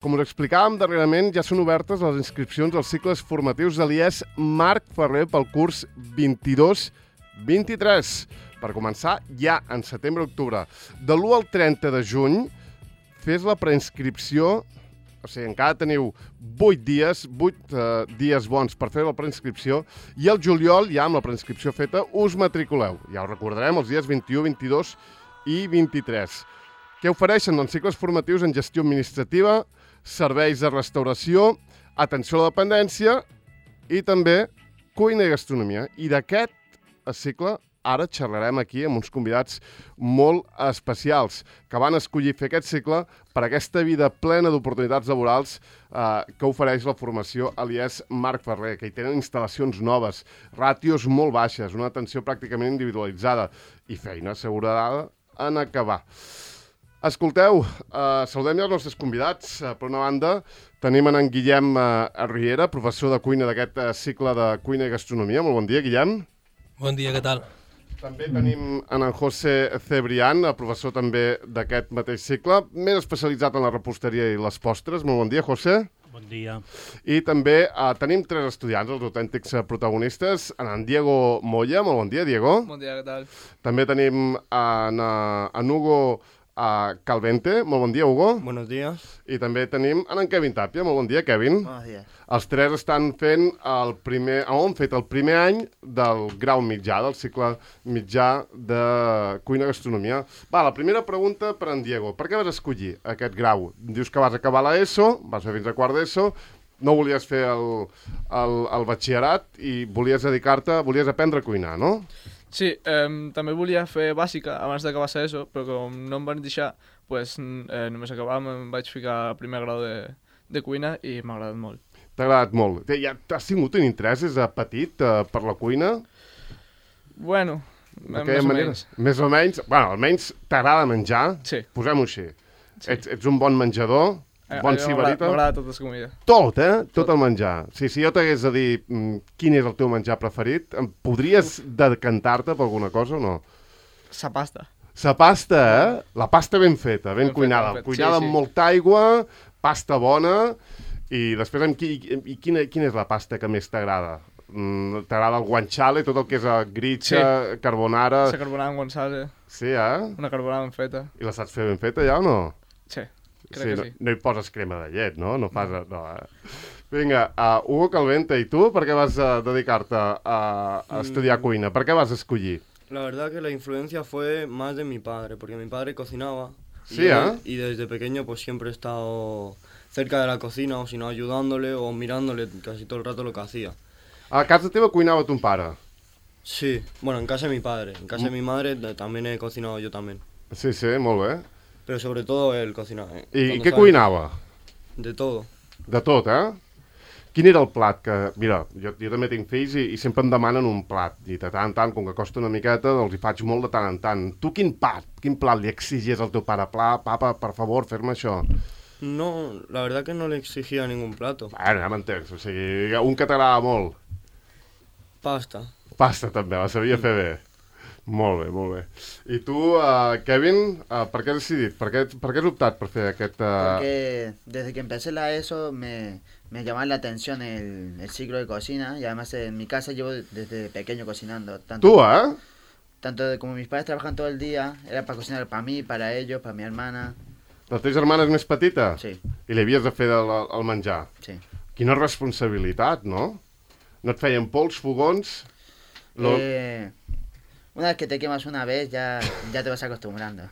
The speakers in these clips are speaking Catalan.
Com us explicàvem darrerament, ja són obertes les inscripcions als cicles formatius de l'IES Marc Ferrer pel curs 22-23, per començar ja en setembre-octubre. De l'1 al 30 de juny, fes la preinscripció, o sigui, encara teniu 8 dies bons per fer la preinscripció, i al juliol, ja amb la preinscripció feta, us matriculeu. Ja ho recordarem, els dies 21, 22 i 23. Què ofereixen? Doncs cicles formatius en gestió administrativa, serveis de restauració, atenció a la dependència i també cuina i gastronomia. I d'aquest cicle ara xerrarem aquí amb uns convidats molt especials que van escollir fer aquest cicle per aquesta vida plena d'oportunitats laborals que ofereix la formació a l'IES Marc Ferrer, que hi tenen instal·lacions noves, ràtios molt baixes, una atenció pràcticament individualitzada i feina assegurada en acabar. Escolteu, saludem ja els nostres convidats. Per una banda, tenim en Guillem Riera, professor de cuina d'aquest cicle de cuina i gastronomia. Molt bon dia, Guillem. Bon dia, què tal? També tenim en José Cebrián, professor també d'aquest mateix cicle, més especialitzat en la reposteria i les postres. Molt bon dia, José. Bon dia. I també tenim 3 estudiants, els autèntics protagonistes. En Diego Moya. Molt bon dia, Diego. Bon dia, què tal? També tenim en Hugo Calvente. Molt bon dia, Hugo. Buenos días. I també tenim en Kevin Tapia. Molt bon dia, Kevin. Buenos días. Els 3 estan fent han fet el primer any del grau mitjà, del cicle mitjà de cuina i gastronomia. Va, la primera pregunta per en Diego. Per què vas escollir aquest grau? Dius que vas acabar l'ESO, vas fer fins a quart d'ESO, no volies fer el batxillerat i volies volies aprendre a cuinar, no? Sí, també volia fer bàsica abans d'acabar l'ESO, però com no em van deixar, pues, només acabàvem, em vaig ficar al primer grau de cuina i m'ha agradat molt. T'ha agradat molt. Ja has tingut un interès des de petit per la cuina? Bueno, més o menys. Més o menys. Bueno, almenys t'agrada menjar? Sí. Posem-ho així. Sí. Ets un bon menjador? Bon sibarita? M'agrada totes les comides. Tot, Tot el menjar. Sí, si jo t'hagués de dir quin és el teu menjar preferit, podries decantar-te per alguna cosa o no? La pasta. La pasta, La pasta ben feta, ben cuinada. Cuinada amb molta aigua, pasta bona. I després, quina és la pasta que més t'agrada? T'agrada el guanciale, tot el que és gritxa, carbonara... La carbonara amb guanciale. Sí, Una carbonara ben feta. I la saps fer ben feta ja o no? Sí, crec que sí. No hi poses crema de llet, no? No fas... No, Vinga, Hugo Calvente, i tu per què vas dedicar-te a estudiar cuina? Per què vas escollir? La verdad que la influencia fue más de mi padre, porque mi padre cocinaba. Sí, y desde pequeño pues siempre he estado cerca de la cocina, o si no ayudándole o mirándole casi todo el rato lo que hacía. A casa teva cuinava ton pare? Sí, bueno, en casa de mi padre. En casa de mi madre también he cocinado yo también. Sí, molt bé. Pero sobre todo él cocinaba. I què cuinava? De todo. De tot, Quin era el plat que... Mira, jo també tinc fills i sempre em demanen un plat. I de tant en tant, com que costa una miqueta, els hi faig molt de tant en tant. Tu quin plat li exigies al teu pare? Papa, per favor, fer-me això. No, la verdad que no le exigía ningún plato. Bueno, ja m'entens. O sigui, un que t'agrada molt. Pasta. Pasta també, la sabia fer bé. Molt bé, molt bé. I tu, Kevin, per què has decidit? Per què has optat per fer aquest... Porque desde que empecé la ESO me llamaba la atención el ciclo de cocina y además en mi casa llevo desde pequeño cocinando. Tu, Tanto como mis padres trabajan todo el día, era para cocinar para mí, para ellos, para mi hermana. La teva germana és més petita? Sí. I li havies de fer el menjar? Sí. Quina responsabilitat, no? No et feien pols, fogons? Una vez que te quemas una vez, ya te vas acostumbrando.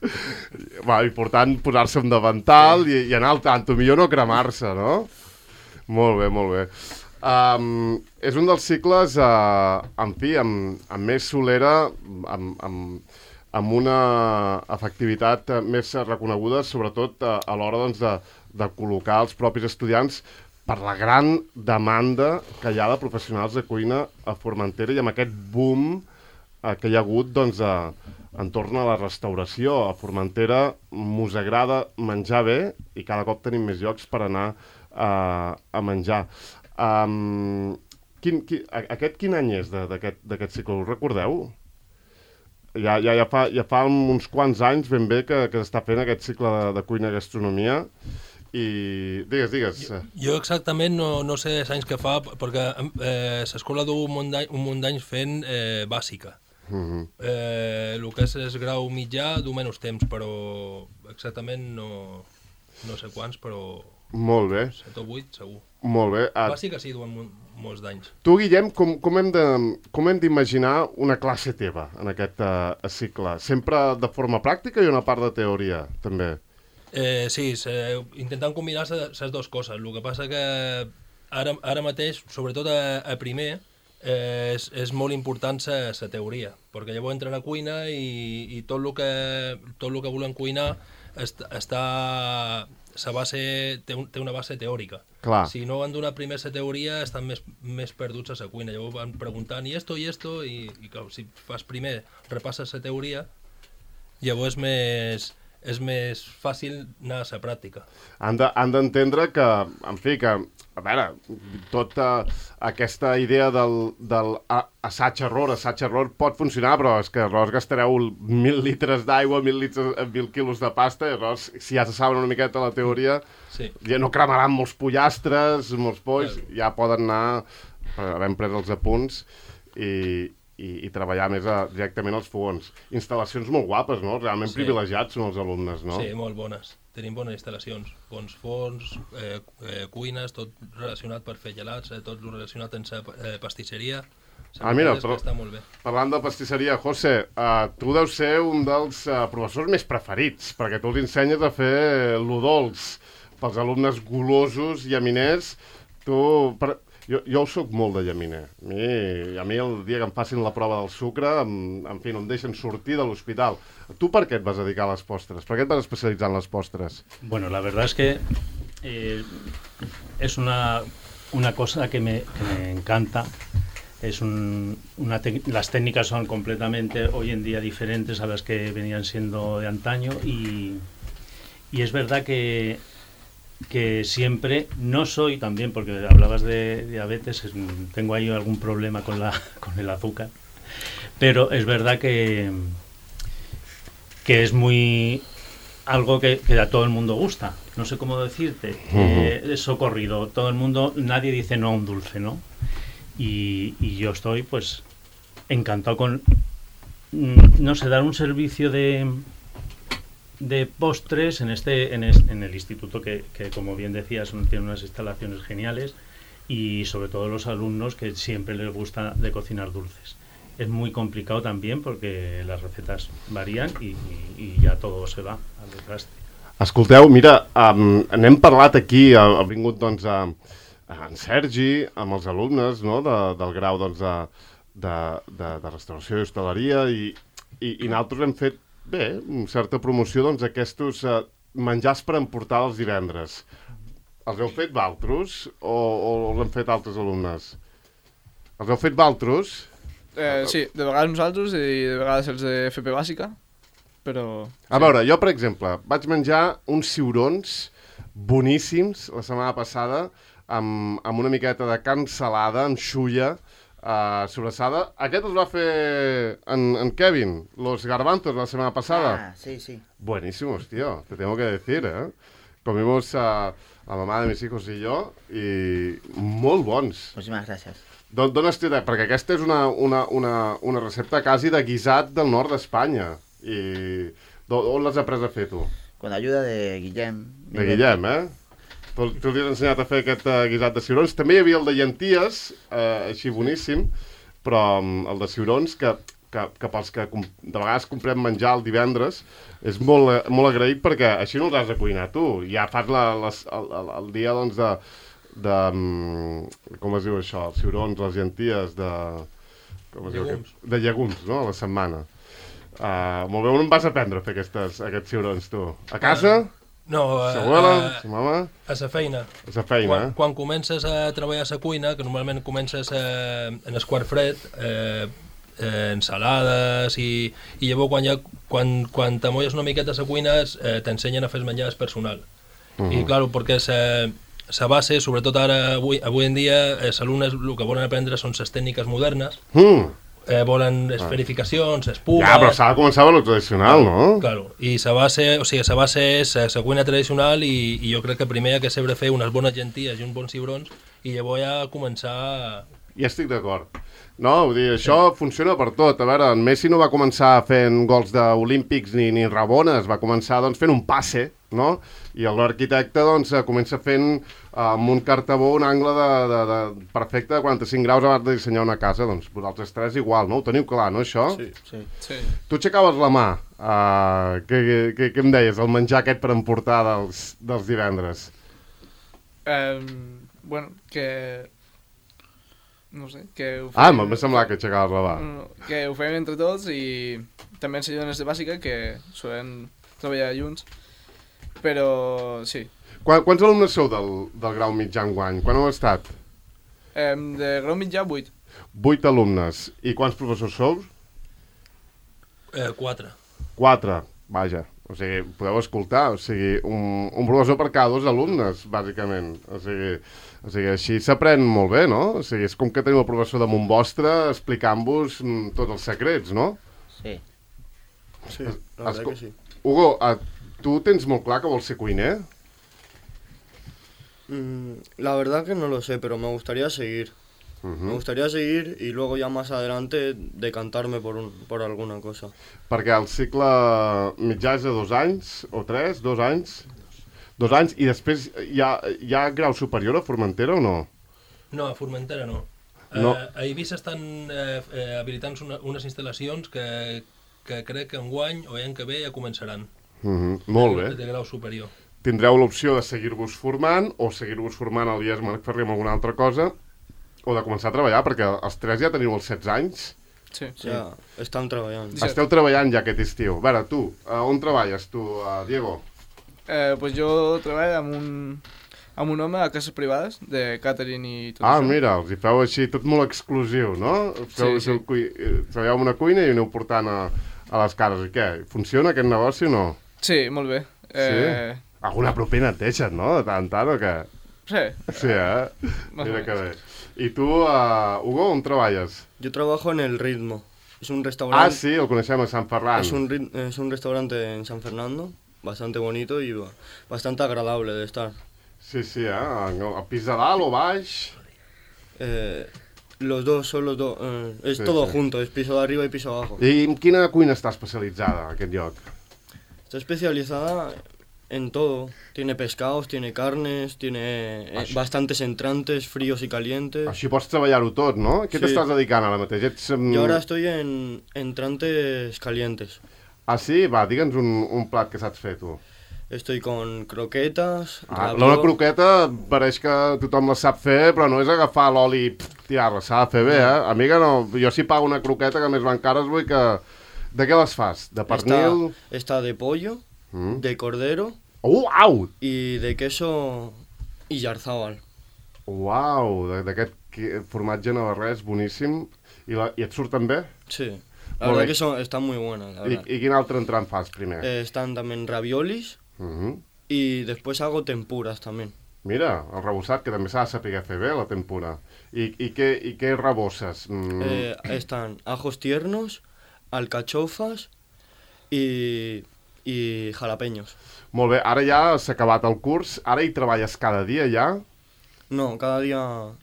Va, important posar-se un davantal i anar al tanto, millor no cremar-se, no? Molt bé, molt bé. És un dels cicles, en fi, amb més solera, amb una efectivitat més reconeguda, sobretot a l'hora doncs, de col·locar els propis estudiants per la gran demanda que hi ha de professionals de cuina a Formentera i amb aquest boom que hi ha hagut doncs, entorn a la restauració. A Formentera mos agrada menjar bé i cada cop tenim més llocs per anar a menjar. Aquest quin any és d'aquest cicle? Ho recordeu? Ja fa uns quants anys ben bé que s'està fent aquest cicle de cuina i gastronomia I digues. Jo exactament no sé els anys que fa, perquè l'escola du un munt d'anys fent bàsica. El que és grau mitjà du menys temps, però exactament no sé quants, però... Molt bé. 7 o 8, segur. Molt bé. Bàsica sí, duen molts d'anys. Tu, Guillem, com hem d'imaginar una classe teva en aquest cicle? Sempre de forma pràctica i una part de teoria, també? Sí, intentant combinar les dues coses. El que passa que ara mateix, sobretot a primer, és molt important la teoria, perquè llavors entren a cuina i tot el que volen cuinar té una base teòrica. Clar. Si no han donat primer la teoria, estan més perduts a la cuina. Llavors van preguntant i esto, i clar, si fas primer, repasses la teoria, llavors és més fàcil anar a la pràctica. Han d'entendre que, en fi, que, a veure, tota aquesta idea del assaig-error pot funcionar, però és que arròs gastareu 1.000 litres d'aigua, 1.000 quilos de pasta, i arròs, si ja se saben una miqueta la teoria, sí. Ja no cremaran molts pollastres, molts polls, ja poden anar, havent pres els apunts, i treballar més directament als fogons. Instal·lacions molt guapes, no? Realment privilegiats són els alumnes, no? Sí, molt bones. Tenim bones instal·lacions. Bons forns, cuines, tot relacionat per fer gelats, tot relacionat amb la pastisseria. Mira, està molt bé. Parlant de pastisseria, José, tu deus ser un dels professors més preferits, perquè tu els ensenyes a fer lo dolç pels alumnes golosos, llaminers. Jo soc molt de llaminer. A mi el dia que em facin la prova del sucre, en fi, no em deixen sortir de l'hospital. Tu per què et vas dedicar a les postres? Per què et vas especialitzar en les postres? Bueno, la verdad es que es una cosa que me encanta. Las técnicas son completamente hoy en día diferentes a las que venían siendo de antaño y es verdad que siempre, no soy también, porque hablabas de diabetes, tengo ahí algún problema con el azúcar, pero es verdad que es muy algo que a todo el mundo gusta, no sé cómo decirte, es socorrido, todo el mundo, nadie dice no a un dulce, ¿no? Y yo estoy pues encantado con, no sé, dar un servicio de postres en el instituto que como bien decías tiene unas instalaciones geniales y sobre todo los alumnos que siempre les gusta de cocinar dulces. Es muy complicado también porque las recetas varían y ya todo se va al desastre. Escolteu, mira, n'hem parlat aquí, ha vingut doncs en Sergi, amb els alumnes, no?, del grau doncs, de restauració i hostaleria i nosaltres hem fet bé, certa promoció doncs, d'aquestos menjars per emportar els divendres. Els heu fet valtros o els han fet altres alumnes? Els heu fet valtros? Sí, de vegades nosaltres i de vegades els de FP bàsica, però... A veure, jo, per exemple, vaig menjar uns ciurons boníssims la setmana passada amb una miqueta de carn salada, amb xulla, sobrassada. Aquest els va fer en Kevin, los garbanzos, la semana pasada. Sí, sí. Buenísimos, tío, te tengo que decir, ¿eh? Comimos a la mamá de mis hijos y yo i molt bons. Muchísimas gracias. D'on has tirat? Perquè aquesta és una recepta quasi de guisat del nord d'Espanya. I on l'has après a fer, tu? Con ayuda de Guillem. De Guillem, eh? Tu li has ensenyat a fer aquest guisat de ciurons. També hi havia el de llenties, així boníssim, però el de ciurons, que pels que de vegades comprem menjar el divendres, és molt agraït perquè així no els has de cuinar tu. Ja fas el dia, doncs, de com es diu això? Els ciurons, les llenties, llegums. De llegums, no?, a la setmana. Molt bé, on em vas aprendre a fer aquests ciurons, tu? A casa? No, sa abuela, sa mama? A la feina. A la feina, Quan comences a treballar a la cuina, que normalment comences en el quart fred, ensalades i llavors quan t'amolles una miqueta a la cuina t'ensenyen a fer el menjar personal. I clar, perquè la base, sobretot ara, avui en dia, els alumnes el que volen aprendre són les tècniques modernes volen esferificacions, espumes... Ja, però s'ha de començar amb el tradicional, no? Claro, i la base és la cuina tradicional i jo crec que primer hi ha que saber fer unes bones llenties i uns bons cigrons i llavors ja començar... Ja estic d'acord. No, vull dir, això funciona per tot. A veure, en Messi no va començar fent gols d'olímpics ni rabones, va començar doncs, fent un passe, no? I l'arquitecte doncs, comença fent amb un cartabó un angle de perfecte de 45 graus abans de dissenyar una casa. Doncs vosaltres tres igual, no? Ho teniu clar, no, això? Sí. Tu aixecaves la mà. Què em deies, el menjar aquest per emportar dels divendres? Bueno, que... No sé, que ho fem... Ah, m'ha semblat que aixecaves la mà. Que ho fem entre tots i també ens ajuden des de bàsica, que solem treballar junts. Però, sí. Quants alumnes sou del grau mitjà enguany? Quan heu estat? De grau mitjà, 8. 8 alumnes. I quants professors sou? 4. 4, vaja. O sigui, podeu escoltar, o sigui, un professor per cada 2 alumnes, bàsicament. O sigui, així s'aprèn molt bé, no? O sigui, és com que teniu el professor damunt vostre explicant-vos tots els secrets, no? Sí. Sí, la verdad que sí. Hugo, tu tens molt clar que vols ser cuiner? La verdad que no lo sé, pero me gustaría seguir. Me gustaría seguir y luego ya más adelante decantarme por alguna cosa. Perquè el cicle mitjà és de 2 anys, o 3, 2 anys? 2 anys, i després hi ha grau superior a Formentera o no? No, a Formentera no. No. A Eivissa estan habilitant unes instal·lacions que crec que enguany o l'any que ve ja començaran. Molt bé. De grau superior. Tindreu l'opció de seguir-vos formant o seguir-vos formant al IES Marc Ferrer amb alguna altra cosa o de començar a treballar, perquè els 3 ja teniu els 16 anys. Sí. Ya, están trabajando. Esteu treballant ja aquest estiu. A veure, tu, on treballes tu, Diego? Pues jo treballo amb un home a cases privades, de catering i tot Ah, això. mira, els hi feu així tot molt exclusiu, no? Sí. Treballeu en una cuina i aneu portant a les cases. I què? Funciona aquest negoci o no? Sí, molt bé. Sí? Alguna propina et deixen, no? De tant en tant, o què? Sí. Sí, Más o Mira que bé. menos. I tu, Hugo, on treballes? Yo trabajo en El Ritmo. Es un restaurante. Ah, sí, el coneixem a Sant Ferran. Es un restaurante en San Fernando, bastante bonito y bastante agradable de estar. Sí, a pis de dalt o baix? Los dos, son los dos. Es Sí, todo sí. junto, es piso de arriba y piso abajo. I en quina cuina està especialitzada, aquest lloc? Está especializada en todo. Tiene pescados, tiene carnes, tiene bastantes entrantes, fríos y calientes. Així pots treballar-ho tot, no? Què Sí. t'estàs dedicant ara mateix? Ets, Yo ahora estoy en entrantes calientes. Ah, sí? Va, digue'ns un plat que saps fer, tu. Estoy con croquetas, La raviol. croqueta pareix que tothom la sap fer, però no és agafar l'oli i tirar-la, s'ha de fer bé, Amiga, no, jo si pago una croqueta que més van cares vull que... De què les fas? De pernil? Está de pollo, de cordero Au! y de queso y yarzábal. Uau, d'aquest formatge navarrès boníssim. I et surten bé? Sí, la Molt verdad bé. que están muy buenas. La verdad. I quin altre entrant fas primer? Están también raviolis y después hago tempuras también. Mira, el rebossat, que també s'ha de saber fer bé, la tempura. I què rebosses? Están ajos tiernos, alcachofas y jalapeños. Molt bé, ara ja s'ha acabat el curs, ara hi treballes cada dia ja? No, cada día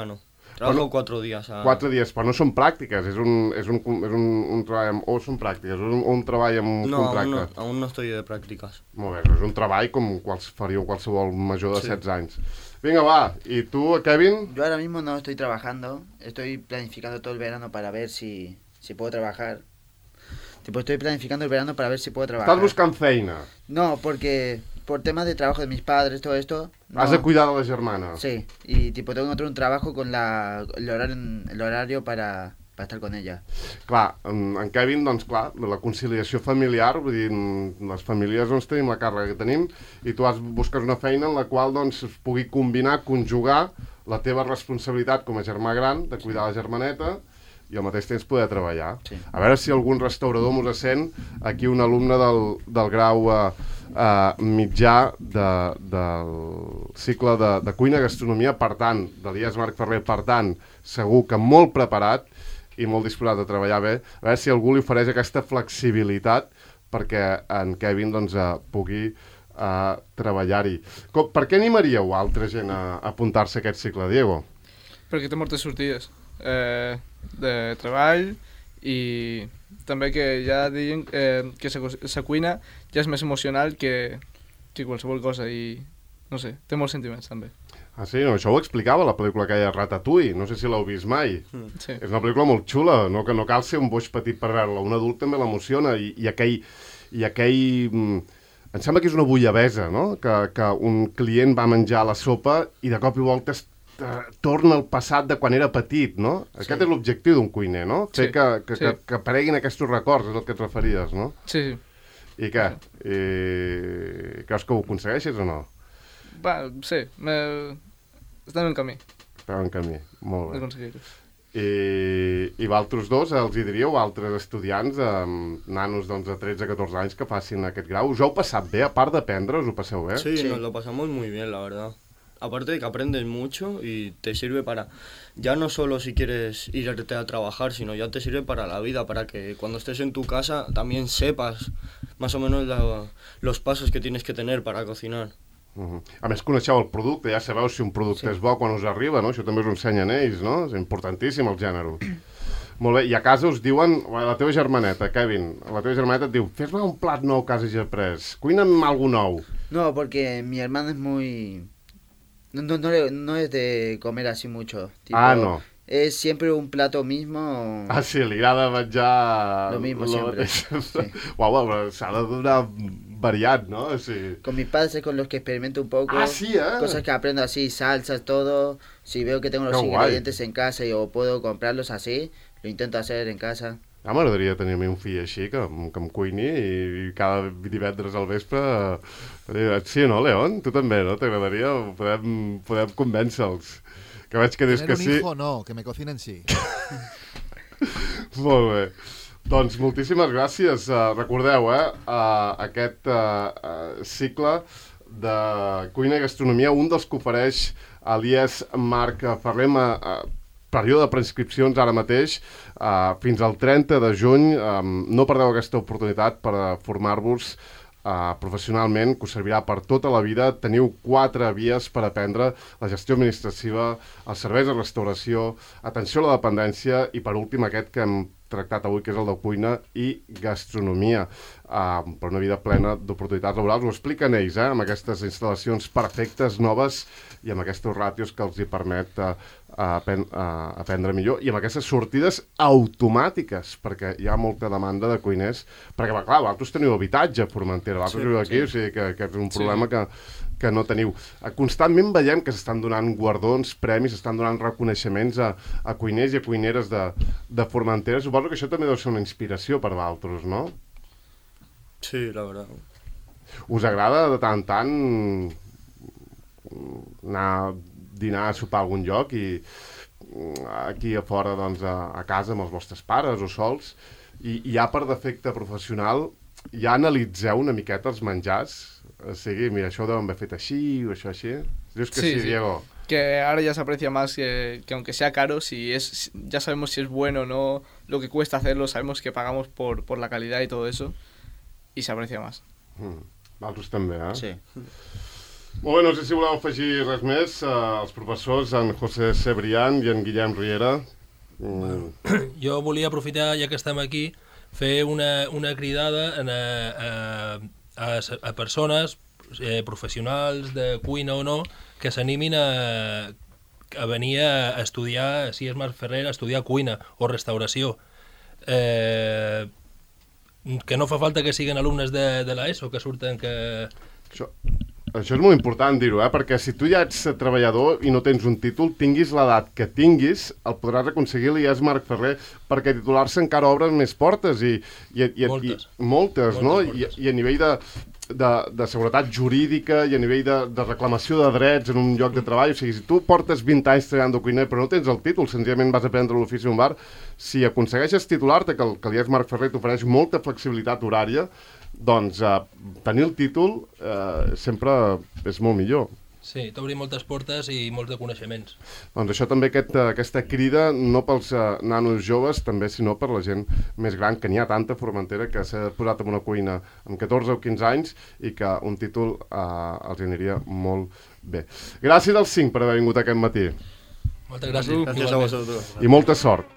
no. Trabajo 4 días. 4 dies, però no són pràctiques, és un treball amb... O són pràctiques, un treball amb No, contracte. aún no estoy de prácticas. Molt bé, és un treball com faríeu qualsevol major de 16 anys. Vinga, va, i tu, Kevin? Yo ahora mismo no estoy trabajando, estoy planificando todo el verano para ver si puedo trabajar. Tipo, estoy planificando el verano para ver si puedo trabajar. Estàs buscant feina. No, porque por temas de trabajo de mis padres, todo esto... No. Has de cuidar de la germana. Sí, y tipo tengo que encontrar un trabajo con el horario para estar con ella. Clar, en Kevin, doncs clar, la conciliació familiar, vull dir, les famílies doncs tenim la càrrega que tenim i tu busques una feina en la qual doncs es pugui combinar, conjugar la teva responsabilitat com a germà gran de cuidar la germaneta i al mateix temps poder treballar. Sí. A veure si algun restaurador mos sent, aquí un alumne del grau mitjà del cicle de cuina i gastronomia, per tant, de l'IES Marc Ferrer, per tant, segur que molt preparat i molt disposat a treballar bé. A veure si algú li ofereix aquesta flexibilitat perquè en Kevin doncs, pugui treballar-hi. Per què animaríeu altra gent a apuntar-se a aquest cicle, Diego? Perquè té moltes sortides de treball i també que ja diuen que la cuina ja és més emocional que qualsevol cosa i no sé, té molts sentiments també. Ah, sí? No, això ho explicava la pel·lícula que hi ha Ratatouille, no sé si l'heu vist mai. Sí. És una pel·lícula molt xula, no cal ser un boig petit per veure-la, un adult també l'emociona i aquell... Em sembla que és una bullabesa, no? Que un client va menjar la sopa i de cop i volta torna al passat de quan era petit, no? Sí. Aquest és l'objectiu d'un cuiner, no? Fer que apareguin aquests records, és el que et referies, no? Sí, sí. I què? Creus que ho aconsegueixes o no? Sí, estem en camí. Estem en camí, molt bé. D'aconseguir-ho. I vosaltres dos els hi diríeu a altres estudiants, nanos doncs, de 13-14 anys que facin aquest grau? Us heu passat bé? A part d'aprendre, us ho passeu bé? Sí, nos lo pasamos muy bien, la verdad. Aparte de que aprendes mucho y te sirve para, ya no solo si quieres irte a trabajar, sino ya te sirve para la vida, para que cuando estés en tu casa también sepas más o menos los pasos que tienes que tener para cocinar. A més, coneixeu el producte, ja sabeu si un producte és bo quan us arriba, no? Això també us ho ensenyen ells, no? És importantíssim el gènere. Molt bé, i a casa us diuen, la teva germaneta, Kevin, la teva germaneta et diu, fes-me un plat nou que hagis après, cuina'm alguna nou. No, porque mi hermano es muy... No es de comer así mucho. Tipo, no. Es siempre un plato mismo. Ah, sí, li agrada menjar... Lo mismo siempre. Sí. Uau, però s'ha de donar variat, ¿no? Sí. Con mis padres es con los que experimento un poco. Ah, sí, Cosas que aprendo así, salsas, todo. Si veo que tengo los ingredientes en casa y o puedo comprarlos así, lo intento hacer en casa. Ah, m'agradaria tenir a mi un fill així, que em cuini i cada divendres al vespre... Sí, no, León? Tu també, no? T'agradaria? Podem convèncer-los. Que veig que dius que sí. Tener un hijo no, que me cocinen sí. Molt bé. Doncs moltíssimes gràcies. Recordeu, aquest cicle de cuina i gastronomia, un dels que ofereix a l'IES Marc Ferrer, període de preinscripcions ara mateix, fins al 30 de juny. No perdeu aquesta oportunitat per formar-vos professionalment, que us servirà per tota la vida. Teniu 4 vies per aprendre: la gestió administrativa, els serveis de restauració, atenció a la dependència i, per últim, aquest que hem tractat avui, que és el de cuina i gastronomia, per una vida plena d'oportunitats laborals. Ho expliquen ells, amb aquestes instal·lacions perfectes, noves, i amb aquestes ràtios que els hi permet aprendre millor, i amb aquestes sortides automàtiques, perquè hi ha molta demanda de cuiners, perquè, clar, vosaltres teniu habitatge a Formentera, vosaltres viu aquí, o sigui que és un problema que no teniu. Constantment veiem que s'estan donant guardons, premis, s'estan donant reconeixements a cuiners i a cuineres de Formentera. Suposo que això també deu ser una inspiració per vosaltres, no? Sí, la verdad. Us agrada de tant en tant anar a dinar, a sopar a algun lloc i aquí a fora, doncs, a casa amb els vostres pares o sols, i ja per defecte professional ja analitzeu una miqueta els menjars? O sigui, mira, això ho deuen haver fet així o això així. Dius que sí, Diego. Que ahora ya se aprecia más que aunque sea caro, ya sabemos si es bueno o no, lo que cuesta hacerlo, sabemos que pagamos por la calidad y todo eso, y se aprecia más. Vosaltres també, Sí. Molt bé, no sé si voleu afegir res més. Els professors, en José Cebrián i en Guillem Riera. Jo volia aprofitar, ja que estem aquí, fer una cridada a persones professionals de cuina o no que s'animin a venir a estudiar, si és Marc Ferrer, a estudiar cuina o restauració. Que no fa falta que siguin alumnes de l'ESO, que surten que... Això és molt important dir-ho, perquè si tu ja ets treballador i no tens un títol, tinguis l'edat que tinguis, el podràs aconseguir l'IES Marc Ferrer, perquè titular-se encara obre més portes i moltes, no? I a nivell de seguretat jurídica i a nivell de reclamació de drets en un lloc de treball. O sigui, si tu portes 20 anys treballant de cuiner però no tens el títol, senzillament vas aprendre l'ofici d'un bar, si aconsegueixes titular-te, que l'IES Marc Ferrer t'ofereix molta flexibilitat horària, doncs tenir el títol sempre és molt millor. Sí, t'obri moltes portes i molts de coneixements. Doncs això també, aquesta crida, no pels nanos joves, també, sinó per la gent més gran, que n'hi ha tanta a Formentera que s'ha posat en una cuina amb 14 o 15 anys i que un títol els aniria molt bé. Gràcies als 5 per haver vingut aquest matí Moltes gràcies. Gràcies a vosaltres. i molta sort.